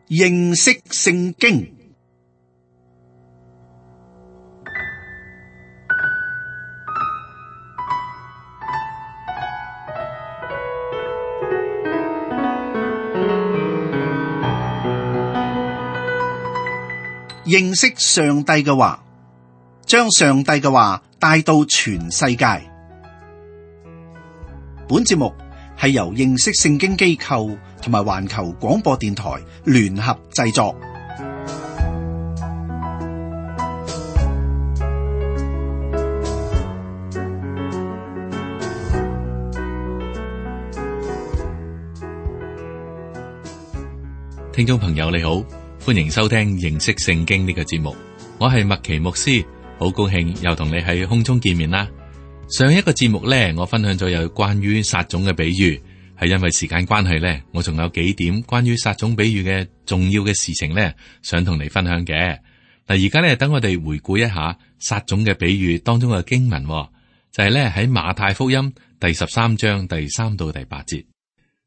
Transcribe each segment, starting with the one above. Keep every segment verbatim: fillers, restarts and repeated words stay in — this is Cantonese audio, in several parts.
認識聖經。認識上帝嘅話，將上帝嘅話帶到全世界。本節目係由認識聖經機構同埋環球廣播電台聯合製作。聽眾朋友你好，歡迎收聽認識聖經呢個節目，我係麥奇牧師，好高興又同你喺空中見面啦。上一個節目呢，我分享咗有關於撒種嘅比喻，係因為時間關係呢，我仲有幾點關於撒種比喻嘅重要嘅事情呢，想同你分享嘅。嗱，而家呢，等我哋回顧一下撒種嘅比喻當中嘅經文，就係呢喺馬太福音第十三章第三到第八節。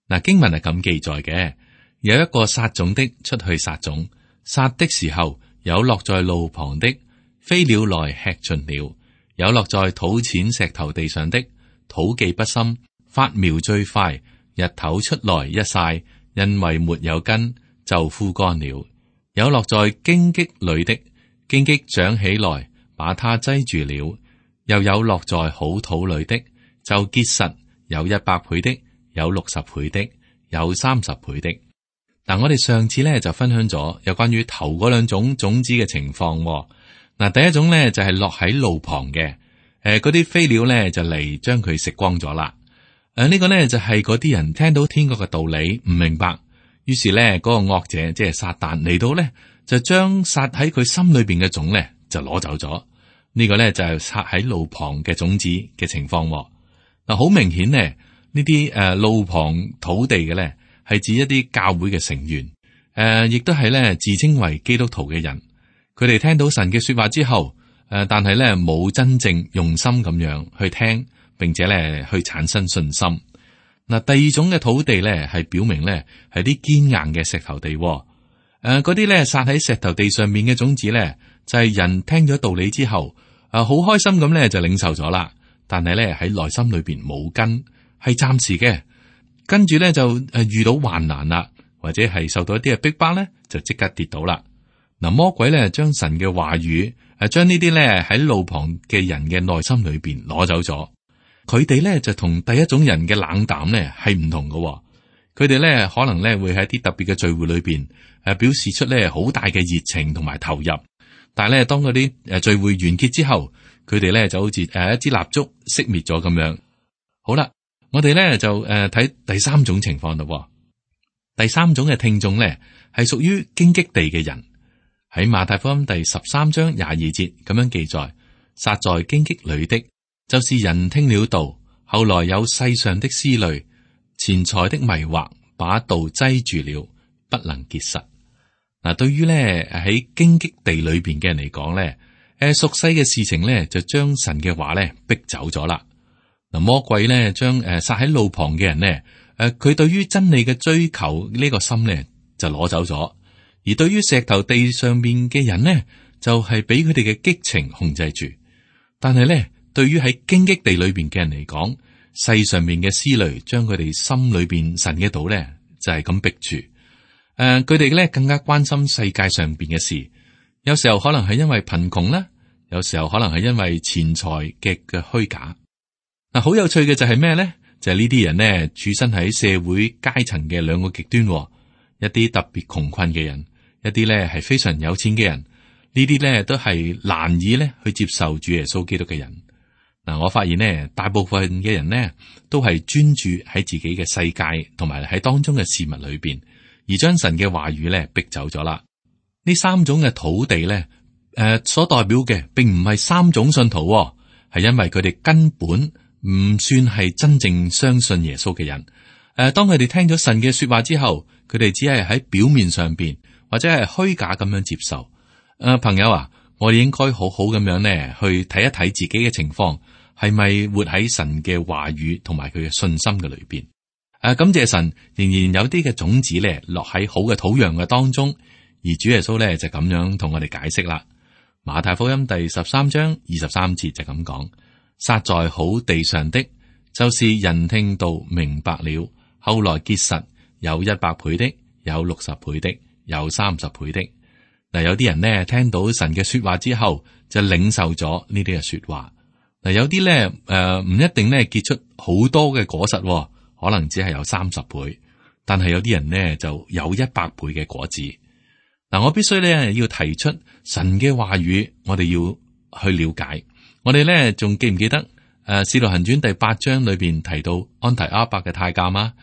嗱，經文係咁記載嘅。有一個撒種的出去撒種，撒的時候有落在路旁的，飛鳥來吃盡了；有落在土淺石頭地上的，土既不深，發苗最快，日頭出來一曬，因為沒有根，就枯乾了；有落在荊棘裏的，荊棘長起來，把它擠住了；又有落在好土裏的，就結實，有一百倍的，有六十倍的，有三十倍的。嗱，我哋上次咧就分享咗有關於頭嗰兩種種子嘅情況。嗱，第一種咧就係落喺路旁嘅，誒，嗰啲飛鳥咧就嚟將佢食光咗啦。誒，呢個咧就係嗰啲人聽到天國嘅道理唔明白，於是咧嗰個惡者即係撒旦嚟到咧，就將撒喺佢心裏邊嘅種咧就攞走咗。呢個咧就係撒喺路旁嘅種子嘅情況。嗱，好明顯咧，呢啲誒路旁土地嘅咧，係指一啲教會嘅成員，誒、呃，亦都係咧自稱為基督徒嘅人。佢哋聽到神嘅說話之後，誒、呃，但係咧冇真正用心咁樣去聽，並且咧去產生信心。嗱、呃，第二種嘅土地咧係表明咧係啲堅硬嘅石頭地，誒、呃，嗰啲咧撒喺石頭地上面嘅種子咧，就係、是、人聽咗道理之後，誒、呃，好開心咁咧就領受咗啦，但係咧喺內心裏邊冇根，係暫時嘅。跟住咧就誒遇到患難啦，或者係受到一啲嘅逼迫咧，就即刻跌倒啦。嗱，魔鬼咧將神嘅話語誒，將呢啲咧喺路旁嘅人嘅內心裏邊攞走咗。佢哋咧就同第一種人嘅冷淡咧係唔同嘅。佢哋咧可能咧會喺啲特別嘅聚會裏邊誒表示出咧好大嘅熱情同埋投入，但係咧當嗰啲誒聚會完結之後，佢哋咧就好似誒一支蠟燭熄滅咗咁樣。好啦。我哋咧就誒睇、呃、第三種情況咯。第三種嘅聽眾咧係屬於荊棘地嘅人，喺馬太福音第十三章廿二節咁樣記載：撒在荊棘裏的，就是人聽了道，後來有世上的思慮、錢財的迷惑，把道擠住了，不能結實。嗱，對於咧喺荊棘地裏邊嘅人嚟講咧，誒俗世嘅事情咧就將神嘅話咧逼走咗啦。嗱，魔鬼咧將誒撒喺路旁嘅人咧，誒佢對於真理嘅追求呢個心咧就攞走咗，而對於石頭地上面嘅人咧，就係俾佢哋嘅激情控制住。但係咧，對於喺荊棘地裏邊嘅人嚟講，世上面嘅思慮將佢哋心裏邊神嘅道咧就係咁逼住。誒，佢哋咧更加關心世界上邊嘅事，有時候可能係因為貧窮啦，有時候可能係因為錢財嘅嘅虛假。嗱，好有趣嘅就係咩咧？就係呢啲人咧，處身喺社會階層嘅兩個極端，一啲特別窮困嘅人，一啲咧係非常有錢嘅人。呢啲咧都係難以咧去接受主耶穌基督嘅人。嗱，我發現咧，大部分嘅人咧都係專注喺自己嘅世界同埋喺當中嘅事物裏邊，而將神嘅話語咧逼走咗啦。呢三種嘅土地咧，誒、呃，所代表嘅並唔係三種信徒，係因為佢哋根本唔算係真正相信耶穌嘅人。誒、呃，當佢哋聽咗神嘅說話之後，佢哋只係喺表面上邊或者係虛假咁樣接受。誒、呃，朋友啊，我哋應該好好咁樣咧去睇一睇自己嘅情況，係咪活喺神嘅話語同埋佢嘅信心嘅裏邊？誒，感謝神，仍然有啲嘅種子咧落喺好嘅土壤嘅當中，而主耶穌咧就咁樣同我哋解釋啦。馬太福音第十三章二十三節就咁講：撒在好地上的，就是人聽道明白了，後來結實，有一百倍的，有六十倍的，有三十倍的。嗱，有啲人呢聽到神嘅說話之後，就領受咗呢啲嘅說話。嗱，有啲咧誒唔一定咧結出好多嘅果實，可能只係有三十倍，但係有啲人呢就有一百倍嘅果子。嗱，我必須咧要提出神嘅話語，我哋要去了解。我哋咧仲記唔記得誒《使徒行傳》第八章裏邊提到安提阿伯嘅太監啊？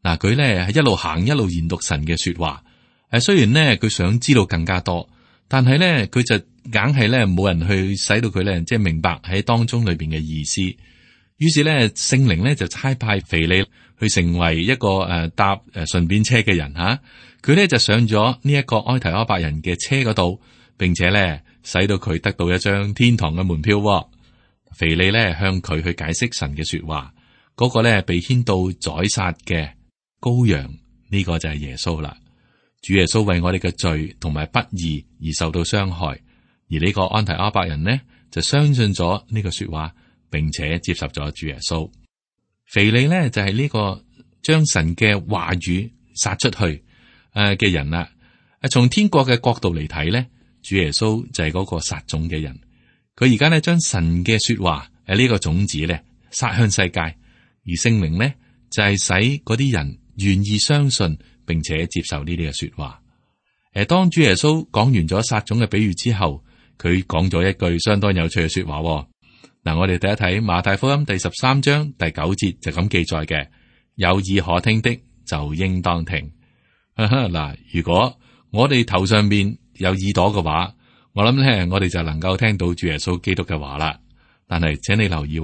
嗱，佢咧係一路行一路研讀神嘅說話。誒，雖然咧佢想知道更加多，但係咧佢就硬係咧冇人去使到佢咧即係明白喺當中裏邊嘅意思。於是咧聖靈咧就差派腓利去成為一個誒、呃、搭誒順便車嘅人吓。佢、啊、咧就上咗呢一個埃提阿伯人嘅車嗰度，並且咧使到佢得到一張天堂嘅門票、哦。腓利咧向佢去解釋神嘅說話，嗰、那個咧被牽到宰殺嘅羔羊，呢、這個就係耶穌啦。主耶穌為我哋嘅罪同埋不義而受到傷害，而呢個安提阿伯人呢就相信咗呢個說話，並且接受咗主耶穌。腓利呢就係、是、呢個將神嘅話語撒出去誒嘅人啦。誒，從天國嘅角度嚟睇呢，主耶穌就係嗰個撒種嘅人。佢而家呢將神嘅說話誒呢個種子呢撒向世界，而聖靈呢就係、是、使嗰啲人願意相信，並且接受呢啲嘅說話。誒，當主耶穌講完咗撒種嘅比喻之後，佢講咗一句相當有趣嘅說話。嗱，我哋睇一睇馬太福音第十三章第九節就咁記載嘅：有耳可聽的就應當聽。嗱，如果我哋頭上面有耳朵嘅話，我諗咧，我哋就能夠聽到主耶穌基督嘅話啦。但係，請你留意，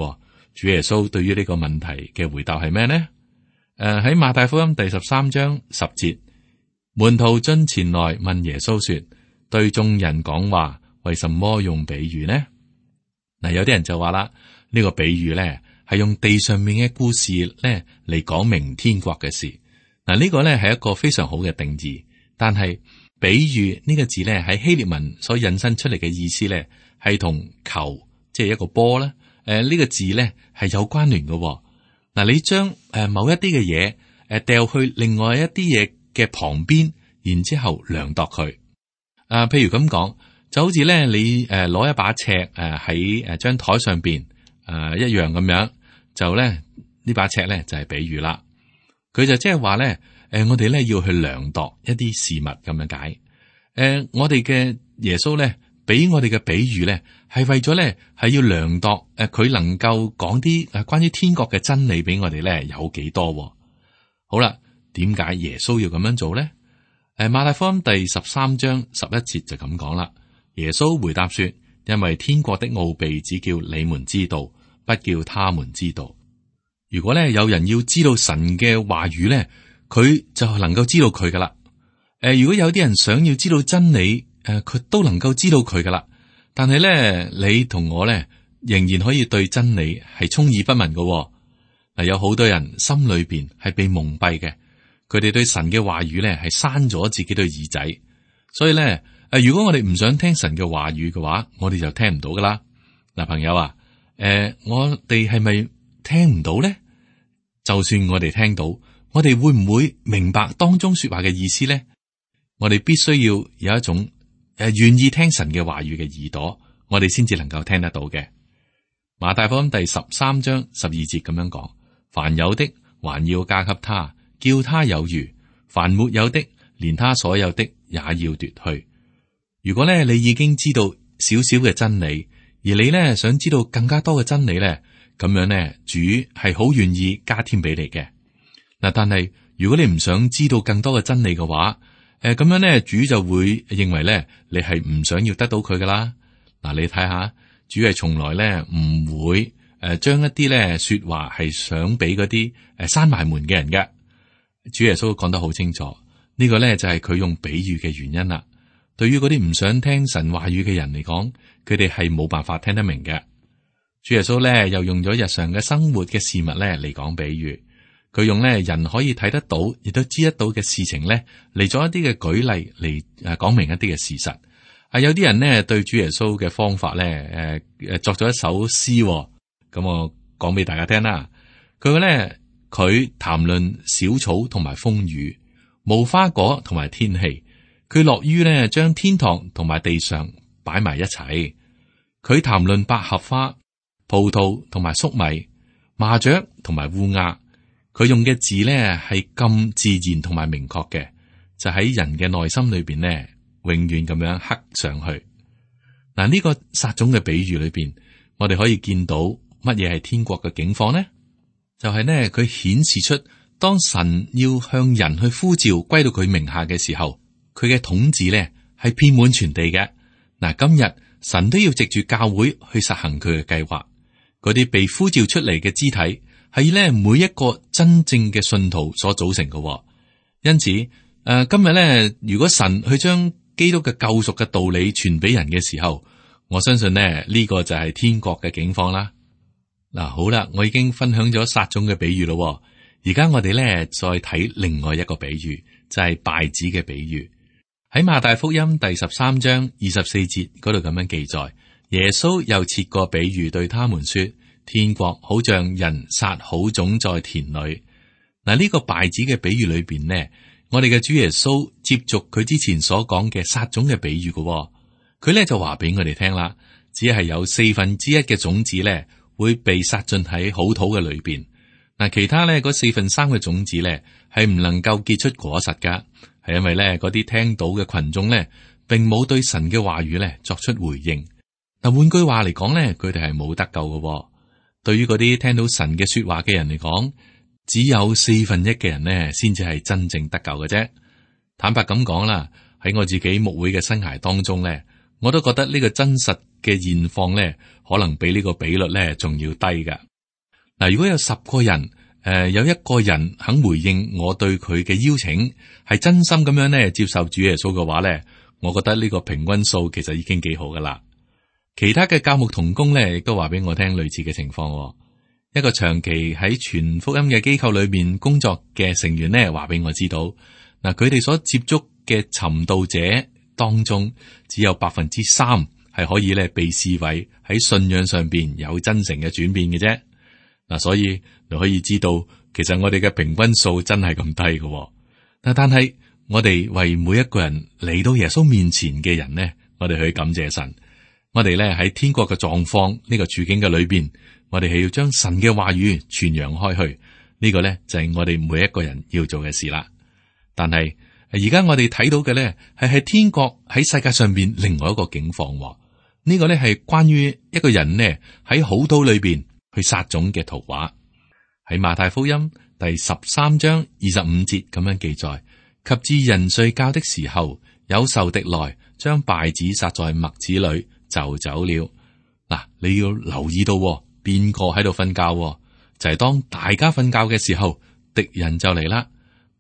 主耶穌對於呢個問題嘅回答係咩呢？誒、呃，喺馬太福音第十三章十節，門徒進前來問耶穌說：對眾人講話，為什麼用比喻呢？嗱，有啲人就話啦，呢個比喻咧係用地上面嘅故事咧嚟講明天國嘅事。嗱，呢個咧係一個非常好嘅定義，但係比喻呢個字咧喺希臘文所引申出嚟嘅意思咧係同球，即係一個波咧，誒呢個字咧係有關聯嘅。嗱，你將誒某一啲嘅嘢誒掉去另外一啲嘢嘅旁邊，然之後量度佢。啊，譬如咁講。就好似咧，你誒攞一把尺誒喺誒張台上邊誒、呃、一樣咁樣，就咧呢把尺咧就係、是、比喻啦。佢就即係話咧，誒、呃、我哋咧要去量度一啲事物咁樣解。誒、呃、我哋嘅耶穌咧俾我哋嘅比喻咧係為咗咧係要量度誒佢、呃、能夠講啲誒關於天國嘅真理俾我哋咧有幾多、哦。好啦，點解耶穌要咁樣做咧？誒、呃、馬太福音第十三章十一節就咁講啦。耶穌回答說：因為天國的奧秘只叫你們知道，不叫他們知道。如果咧有人要知道神嘅話語咧，佢就能夠知道佢噶啦。誒、呃，如果有啲人想要知道真理，誒、呃，佢都能夠知道佢噶啦。但係咧，你同我咧仍然可以對真理係充耳不聞噶、哦。嗱、呃，有好多人心裏邊係被蒙蔽嘅，佢哋對神嘅話語咧係閂咗自己對耳仔，所以咧。誒，如果我哋唔想聽神嘅話語嘅話，我哋就聽唔到噶啦。嗱，朋友啊，誒、呃，我哋係咪聽唔到咧？就算我哋聽到，我哋會唔會明白當中說話嘅意思咧？我哋必須要有一種誒願意聽神嘅話語嘅耳朵，我哋先至能夠聽得到嘅。馬太福音第十三章十二節咁樣講：凡有的還要加給他，叫他有餘；凡沒有的，連他所有的也要奪去。如果咧你已經知道少少嘅真理，而你咧想知道更加多嘅真理咧，咁樣咧主係好願意加添俾你嘅。嗱，但係如果你唔想知道更多嘅真理嘅話，誒咁樣咧主就會認為咧你係唔想要得到佢噶啦。嗱，你睇下，主係從來咧唔會誒將一啲咧說話係想俾嗰啲誒閂埋門嘅人嘅。主耶穌講得好清楚，呢個咧就係佢用比喻嘅原因啦。對於嗰啲唔想聽神話語嘅人嚟講，佢哋係冇辦法聽得明嘅。主耶穌咧又用咗日常嘅生活嘅事物咧嚟講比喻，佢用咧人可以睇得到，亦都知得到嘅事情咧，嚟咗一啲嘅舉例嚟誒講明一啲嘅事實。啊，有啲人呢對主耶穌嘅方法咧，誒誒作咗一首詩，咁我講俾大家聽啦。佢話咧，佢談論小草同埋風雨，無花果同埋天氣，佢樂於咧將天堂同埋地上擺埋一齊。佢談論百合花、葡萄同埋粟米、麻雀同埋烏鴉。佢用嘅字咧係咁自然同埋明確嘅，就喺人嘅內心裏邊咧，永遠咁樣刻上去。嗱，呢個撒種嘅比喻裏邊，我哋可以見到乜嘢係天國嘅境況呢？就係呢，佢顯示出當神要向人去呼召歸到佢名下嘅時候，佢嘅統治咧係遍滿全地嘅。嗱，今日神都要藉住教會去實行佢嘅計劃。嗰啲被呼召出嚟嘅肢體係咧每一個真正嘅信徒所組成嘅。因此，誒、呃，今日咧，如果神去將基督嘅救贖嘅道理傳俾人嘅時候，我相信呢，呢、呢個就係天國嘅境況啦。嗱，好啦，我已經分享咗撒種嘅比喻咯，而家我哋咧再睇另外一個比喻，就係稗子嘅比喻。喺馬太福音第十三章二十四節嗰度咁樣記載，耶穌又設個比喻對他們說：天國好像人撒好種在田裏。嗱，呢個稗子嘅比喻裏邊呢，我哋嘅主耶穌接續佢之前所講嘅撒種嘅比喻嘅，佢咧就話俾我哋聽啦，只係有四分之一嘅種子咧，會被撒進喺好土嘅裏邊，嗱，其他咧嗰四分三嘅種子咧係唔能夠結出果實噶，係因為咧嗰啲聽到嘅群眾咧，並冇對神嘅話語咧作出回應。嗱，換句話嚟講咧，佢哋係冇得救嘅。對於嗰啲聽到神嘅說話嘅人嚟講，只有四分一嘅人咧，先至係真正得救嘅啫。坦白咁講啦，喺我自己牧會嘅生涯當中咧，我都覺得呢個真實嘅現況咧，可能比呢個比率咧仲要低噶。嗱，如果有十個人，誒、呃、有一個人肯回應我對佢嘅邀請，係真心咁樣咧接受主耶穌嘅話咧，我覺得呢個平均數其實已經幾好噶啦。其他嘅教牧同工咧，亦都話俾我聽類似嘅情況。一個長期喺傳福音嘅機構裏面工作嘅成員咧，話俾我知道，嗱，佢哋所接觸嘅尋道者當中，只有百分之三係可以咧被視為喺信仰上邊有真誠嘅轉變嘅啫。嗱，所以你可以知道，其實我哋嘅平均數真係咁低嘅。嗱，但係我哋為每一個人嚟到耶穌面前嘅人呢，我哋去感謝神。我哋咧喺天國嘅狀況呢個處境嘅裏邊，我哋係要將神嘅話語傳揚開去。呢個咧就係我哋每一個人要做嘅事啦。但係而家我哋睇到嘅咧係喺天國喺世界上邊另外一個境況。呢個咧係關於一個人呢喺好土裏邊去撒種嘅圖畫。喺馬太福音第十三章二十五節咁樣記載：及至人睡覺的時候，有仇敵來將稗子撒在麥子裏，就走了。嗱，你要留意到邊個喺度瞓覺，就係當大家瞓覺嘅時候，敵人就嚟啦。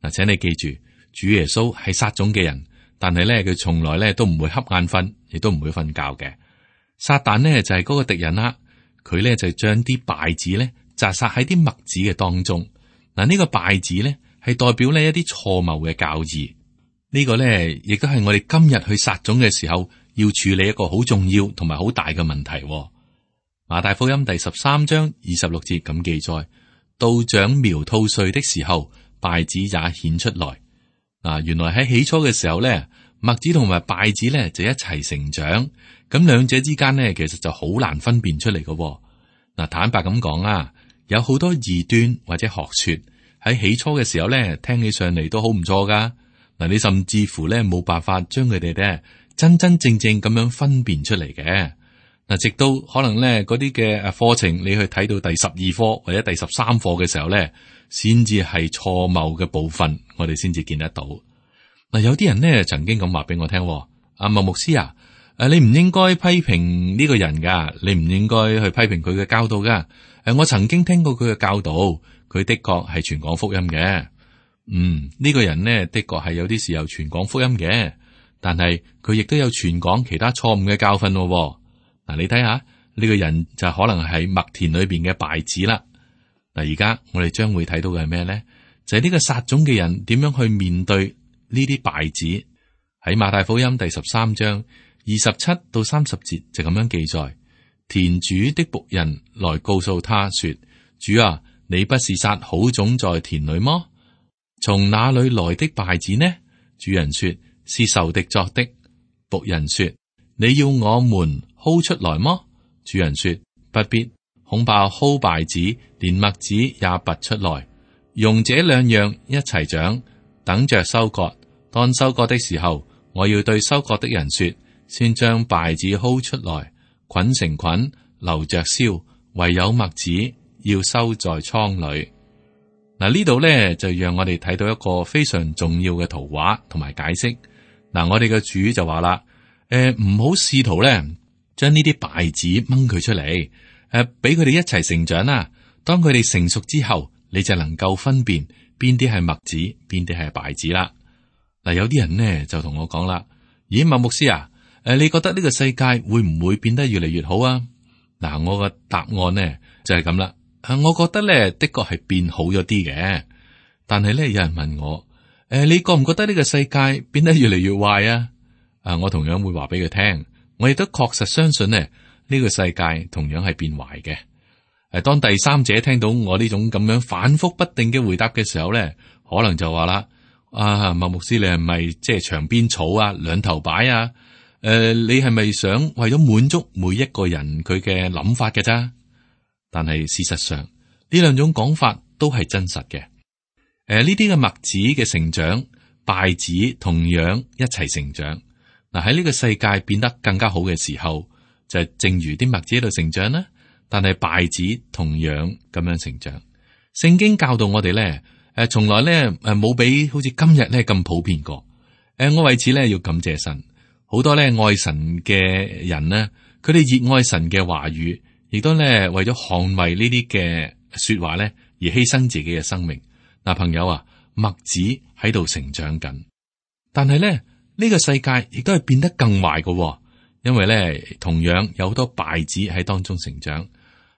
嗱，請你記住，主耶穌係撒種嘅人，但係咧佢從來咧都唔會瞌眼瞓，亦都唔會瞓覺嘅。撒旦呢就係嗰個敵人啦，佢咧就將啲稗子咧扎撒喺啲麥子嘅當中。嗱，呢個稗子咧係代表呢一啲錯謬嘅教義。呢個咧亦都係我哋今日去撒種嘅時候要處理一個好重要同埋好大嘅問題。馬太福音第十三章二十六節咁記載：到長苗吐穗的時候，稗子也顯出來。嗱，原來喺起初嘅時候咧，麥子同埋稗子咧就一齊成長，咁兩者之間咧其實就好難分辨出嚟嘅。嗱，坦白咁講啊，有好多異端或者學說喺起初嘅時候咧，聽起上嚟都好唔錯噶。嗱，你甚至乎咧冇辦法將佢哋咧真真正正咁樣分辨出嚟嘅。嗱，直到可能咧嗰啲嘅誒課程，你去睇到第十二課或者第十三課嘅時候咧，先至係錯謬嘅部分，我哋先至見得到。嗱，有啲人咧曾經咁話俾我聽，阿麥牧師啊，誒，你唔應該批評呢個人噶，你唔應該去批評佢嘅教導噶。誒，我曾經聽過佢嘅教導，佢的確係傳講福音嘅。嗯，呢個人呢，的確係有啲時候傳講福音嘅，但係佢亦都有傳講其他錯誤嘅教訓咯。嗱，你睇下呢個人就可能係麥田裏邊嘅稗子啦。嗱，而家我哋將會睇到嘅係咩咧？就係呢個撒種嘅人點樣去面對呢啲稗子。喺馬太福音第十三章二十七到三十節就咁樣記載：田主的僕人來告訴他說：主啊，你不是撒好種在田裏麼？從哪裏來的稗子呢？主人說：是仇敵作的。僕人說：你要我們薅出來麼？主人說：不必，恐怕薅稗子連麥子也拔出來，容這兩樣一齊長，等着收割。當收割的時候，我要對收割的人說：先將稗子薅出來，捆成捆，留着燒；唯有麥子要收在倉裏。嗱，呢度咧就讓我哋睇到一個非常重要嘅圖畫同埋解釋。嗱，我哋嘅主就話啦：誒，唔好試圖咧將呢啲稗子掹佢出嚟，誒，俾佢哋一齊成長啦。當佢哋成熟之後，你就能夠分辨邊啲係麥子，邊啲係稗子啦。嗱，有啲人呢就同我講啦：咦，麥牧師啊，誒，你覺得呢個世界會唔會變得越嚟越好啊？嗱，我個答案呢就係咁啦。我覺得咧的確係變好咗啲嘅，但係咧有人問我：誒，你覺唔覺得呢個世界變得越嚟越壞啊？啊，我同樣會話俾佢聽，我亦都確實相信呢呢個世界同樣係變壞嘅。誒，當第三者聽到我呢種咁樣反覆不定嘅回答嘅時候咧，可能就話啦：啊，麥牧師，你係咪即係牆邊草啊，兩頭擺啊？誒、呃，你係咪想為咗滿足每一個人佢嘅諗法嘅咋？但係事實上，呢兩種講法都係真實嘅。誒、呃，呢啲嘅麥子嘅成長，稗子同樣一齊成長。嗱，喺呢個世界變得更加好嘅時候，就係正如啲麥子喺度成長啦。但係稗子同樣咁樣成長。聖經教導我哋咧，誒，從來咧誒冇比好似今日咧咁普遍過。誒，我為此咧要感謝神，好多咧愛神嘅人呢，佢哋熱愛神嘅話語。亦都咧為咗捍衛呢啲嘅說話咧而犧牲自己嘅生命。嗱，朋友啊，麥子喺度成長緊，但係咧呢個世界亦都係變得更壞嘅，因為咧同樣有好多稗子喺當中成長。誒、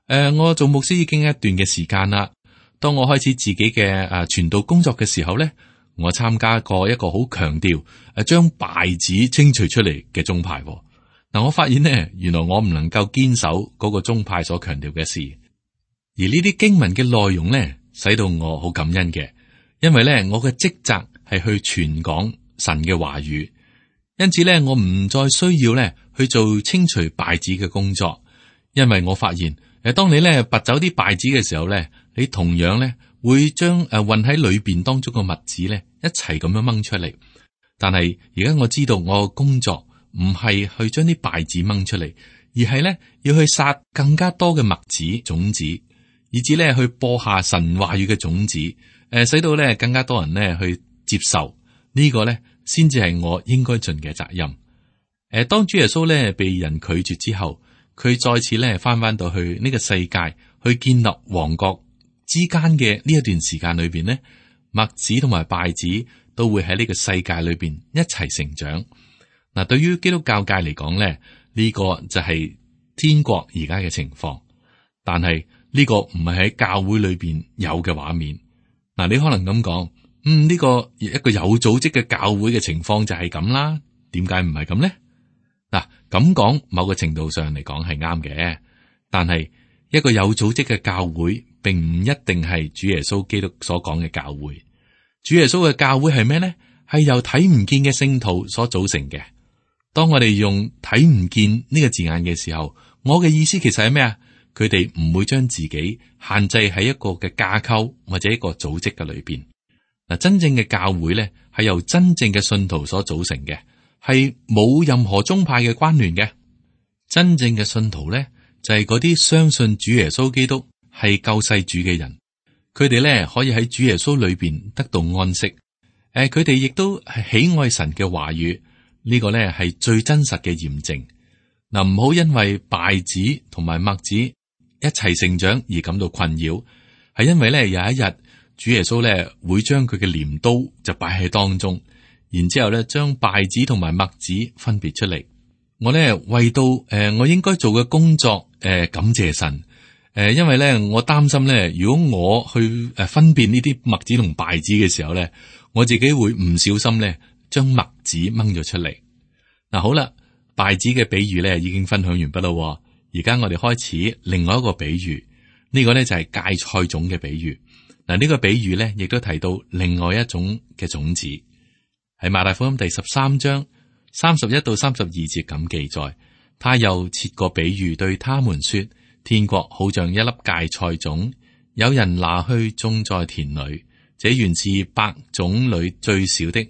呃，我做牧師已經一段嘅時間啦。當我開始自己嘅誒傳道工作嘅時候咧，我參加過一個好強調誒將稗子清除出嚟嘅宗派。嗱，我發現呢，原來我唔能夠堅守嗰個宗派所強調嘅事，而呢啲經文嘅內容呢，使到我好感恩嘅，因為呢，我嘅職責係去傳講神嘅話語，因此呢，我唔再需要呢去做清除稗子嘅工作，因為我發現誒，當你呢拔走啲稗子嘅時候呢，你同樣呢會將誒混喺裏邊當中嘅麥子呢一齊咁樣掹出嚟，但係而家我知道我嘅工作唔係去將啲稗子掹出嚟，而係咧要去撒更加多嘅麥子種子，以至咧去播下神話語嘅種子，誒、呃，使到咧更加多人咧去接受、這個、呢個咧，先至係我應該盡嘅責任。誒、呃，當主耶穌咧被人拒絕之後，佢再次咧翻翻到去呢個世界，去建立王國之間嘅呢一段時間裏邊咧，麥子同埋稗子都會喺呢個世界裏邊一齊成長。嗱，對於基督教界嚟講咧，呢個就係天國而家嘅情況，但係呢個唔係喺教會裏邊有嘅畫面。嗱，你可能咁講，嗯，呢個一個有組織嘅教會嘅情況就係咁啦。點解唔係咁咧？嗱，咁講某個程度上嚟講係啱嘅，但係一個有組織嘅教會，並唔一定係主耶穌基督所講嘅教會。主耶穌嘅教會係咩咧？係由睇唔見嘅聖徒所組成嘅。當我哋用睇唔見呢個字眼嘅時候，我嘅意思其實係咩啊？佢哋唔會將自己限制喺一個嘅架構或者一個組織嘅裏邊。嗱，真正嘅教會咧係由真正嘅信徒所組成嘅，係冇任何宗派嘅關聯嘅。真正嘅信徒咧就係嗰啲相信主耶穌基督係救世主嘅人，佢哋咧可以喺主耶穌裏邊得到安息。誒、呃，佢哋亦都係喜愛神嘅話語。呢個咧係最真實嘅驗證。嗱，唔好因為稗子同埋麥子一齊成長而感到困擾，係因為咧有一日主耶穌咧會將佢嘅鐮刀就擺喺當中，然之後咧將稗子同埋麥子分別出嚟。我咧為到誒、呃、我應該做嘅工作誒、呃、感謝神，誒，因為咧我擔心咧，如果我去誒分辨呢啲麥子同稗子嘅時候咧，我自己會唔小心咧將麥子掹咗出嚟。嗱，好啦，稗子嘅比喻咧已經分享完畢啦，而家我哋開始另外一個比喻，呢個咧就係芥菜種嘅比喻。嗱，呢個比喻咧亦都提到另外一種嘅種子，喺馬太福音第十三章三十一到三十二節咁記載。他又設個比喻對他們說，天國好像一粒芥菜種，有人拿去種在田裏，這原是百種裏最小的，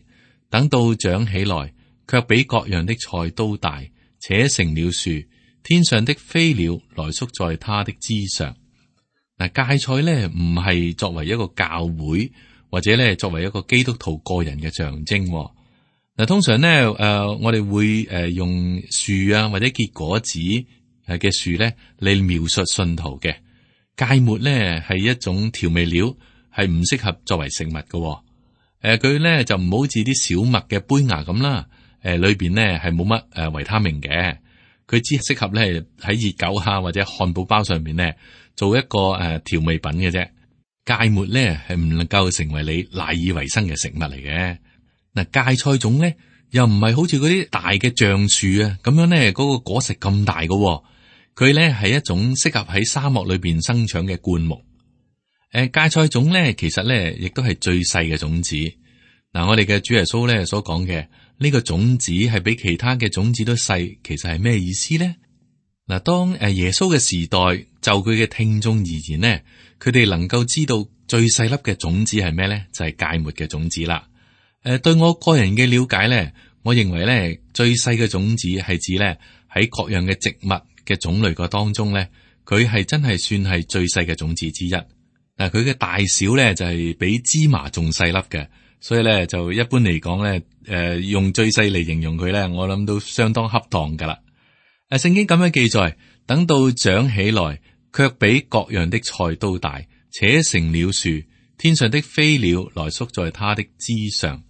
等到長起來，卻比各樣的菜都大，且成了樹，天上的飛鳥來宿在它的枝上。嗱，芥菜咧唔係作為一個教會或者咧作為一個基督徒個人嘅象徵。嗱，通常咧誒、呃，我哋會誒用樹啊或者結果子誒嘅樹咧嚟描述信徒嘅。芥末咧係一種調味料，係唔適合作為食物嘅。誒、呃，佢咧就唔好似啲小麥嘅胚芽咁啦。誒、呃，裏邊咧係冇乜誒維他命嘅，佢只適合咧喺熱狗蝦或者漢堡包上面咧做一個誒調味品嘅啫。芥末咧係唔能夠成為你賴以為生嘅食物嚟嘅。嗱，芥菜種咧又唔係好似嗰啲大嘅橡樹啊咁樣咧，嗰個果實咁大嘅。佢咧係一種適合喺沙漠裏邊生長嘅灌木。誒，芥菜種咧其實咧亦都係最細嘅種子。嗱，我哋嘅主耶穌咧所講嘅呢個種子係比其他嘅種子都細，其實係咩意思咧？嗱，當誒耶穌嘅時代就佢嘅聽眾而言呢，佢哋能夠知道最細粒嘅種子係咩咧？就係芥末嘅種子啦。誒，對我個人嘅了解咧，我認為咧最細嘅種子係指咧喺各樣嘅植物嘅種類個當中咧，佢係真係算係最細嘅種子之一。嗱，佢嘅大小咧就係比芝麻仲細粒嘅，所以咧就一般嚟講咧，誒用最細嚟形容佢咧，我諗都相當恰當噶啦。誒，聖經咁樣記載，等到長起來，卻比各樣的菜都大，且成了樹，天上的飛鳥來宿在它的枝上。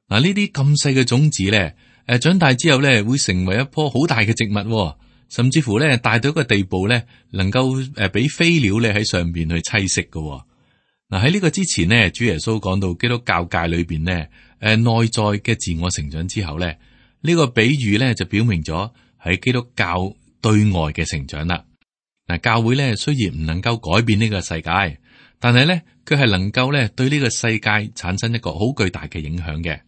嗱，呢啲咁細嘅種子咧，誒，長大之後咧，會成為一棵好大嘅植物，甚至乎咧，大到一個地步咧，能夠誒俾飛鳥咧喺上邊去棲息嘅。嗱，喺呢個之前呢，主耶穌講到基督教界裏邊呢，誒內在嘅自我成長之後咧，呢個比喻咧就表明咗喺基督教對外嘅成長啦。嗱，教會咧雖然唔能夠改變呢個世界，但係咧佢係能夠咧對呢個世界產生一個好巨大嘅影響嘅。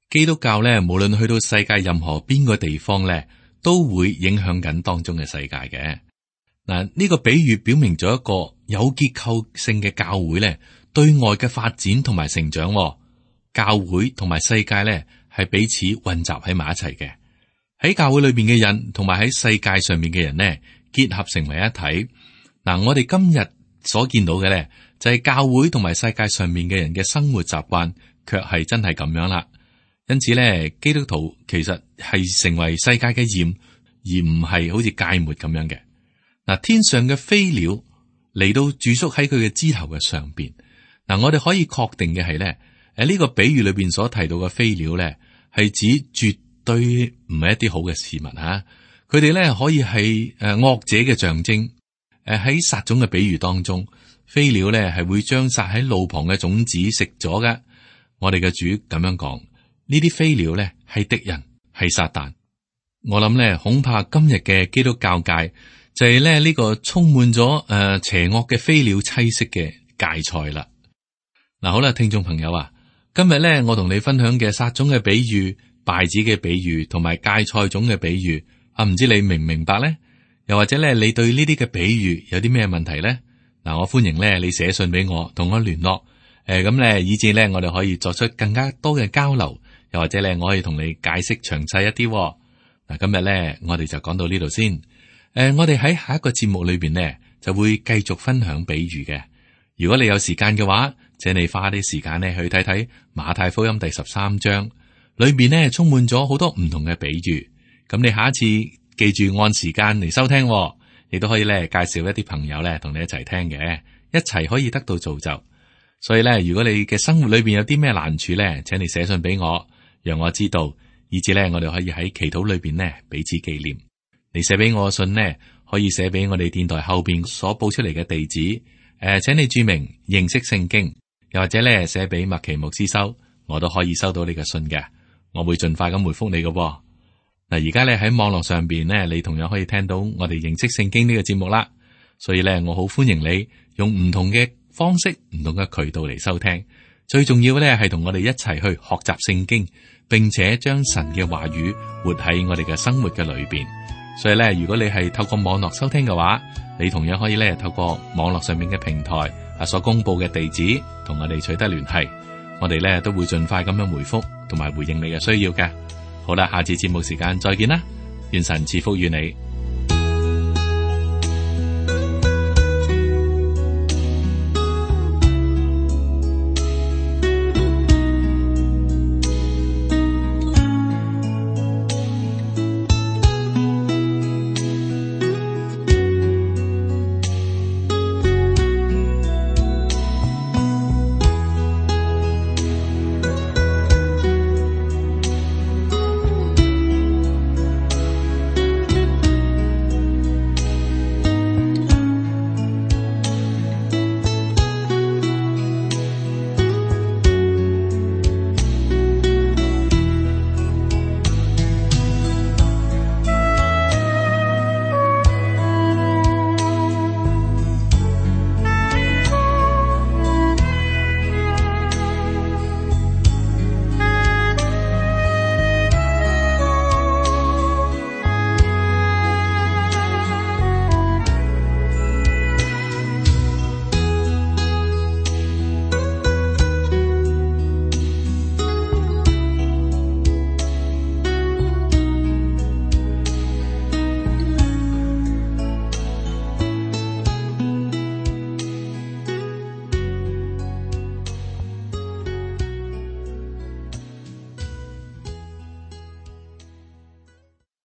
基督教咧，無論去到世界任何邊個地方咧，都會影響緊當中嘅世界嘅。嗱，呢個比喻表明咗一個有結構性嘅教會咧，對外嘅發展同埋成長。教會同埋世界咧係彼此混雜喺埋一齊嘅。喺教會裏邊嘅人同埋喺世界上面嘅人呢，結合成為一體。嗱，我哋今日所見到嘅咧，就係教會同埋世界上面嘅人嘅生活習慣，卻係真係咁樣啦。因此咧，基督徒其實係成為世界嘅鹽，而唔係好似芥末咁樣嘅。嗱，天上嘅飛鳥嚟到住宿喺佢嘅枝頭嘅上邊。嗱，我哋可以確定嘅係咧，誒、這、呢個比喻裏邊所提到嘅飛鳥咧，係指絕對唔係一啲好嘅事物吓。佢哋咧可以係誒惡者嘅象徵。誒喺撒種嘅比喻當中，飛鳥咧係會將撒喺路旁嘅種子食咗㗎。我哋嘅主咁樣講。呢啲飛鳥咧係敵人，係撒旦。我諗咧，恐怕今日嘅基督教界就係咧呢個充滿咗誒邪惡嘅飛鳥棲息嘅芥菜啦。嗱，好啦，聽眾朋友啊，今日咧我同你分享嘅撒種嘅比喻、稗子嘅比喻同埋芥菜種嘅比喻啊，唔知你明唔明白咧？又或者咧，你對呢啲嘅比喻有啲咩問題咧？嗱，我歡迎咧你寫信俾我，同我聯絡。誒，咁咧，以至咧我哋可以作出更加多嘅交流。又或者咧，我可以同你解釋詳細一啲。嗱，今日咧，我哋就講到呢度先。誒、呃，我哋喺下一個節目裏邊呢，就會繼續分享比喻嘅。如果你有時間嘅話，請你花啲時間呢去睇睇馬太福音第十三章，裏邊呢充滿咗好多唔同嘅比喻。咁你下一次記住按時間嚟收聽，亦都可以咧介紹一啲朋友咧同你一齊聽嘅，一齊可以得到造就。所以咧，如果你嘅生活裏邊有啲咩難處咧，請你寫信俾我。讓我知道，以至咧，我哋可以喺祈禱裏邊呢彼此紀念。你寫俾我嘅信呢，可以寫俾我哋電台後邊所報出嚟嘅地址。誒、呃，請你注明認識聖經，又或者咧寫俾麥奇牧師收，我都可以收到你嘅信嘅。我會盡快咁回覆你嘅。嗱，而家咧喺網絡上邊咧，你同樣可以聽到我哋認識聖經呢個節目啦。所以咧，我好歡迎你用唔同嘅方式、唔同嘅渠道嚟收聽。最重要咧係同我哋一齊去學習聖經，並且將神嘅話語活喺我哋嘅生活嘅裏邊。所以咧，如果你係透過網絡收聽嘅話，你同樣可以咧透過網絡上面嘅平台啊所公布嘅地址，同我哋取得聯繫。我哋咧都會盡快咁樣回覆同埋回應你嘅需要嘅。好啦，下次節目時間再見啦，願神賜福於你。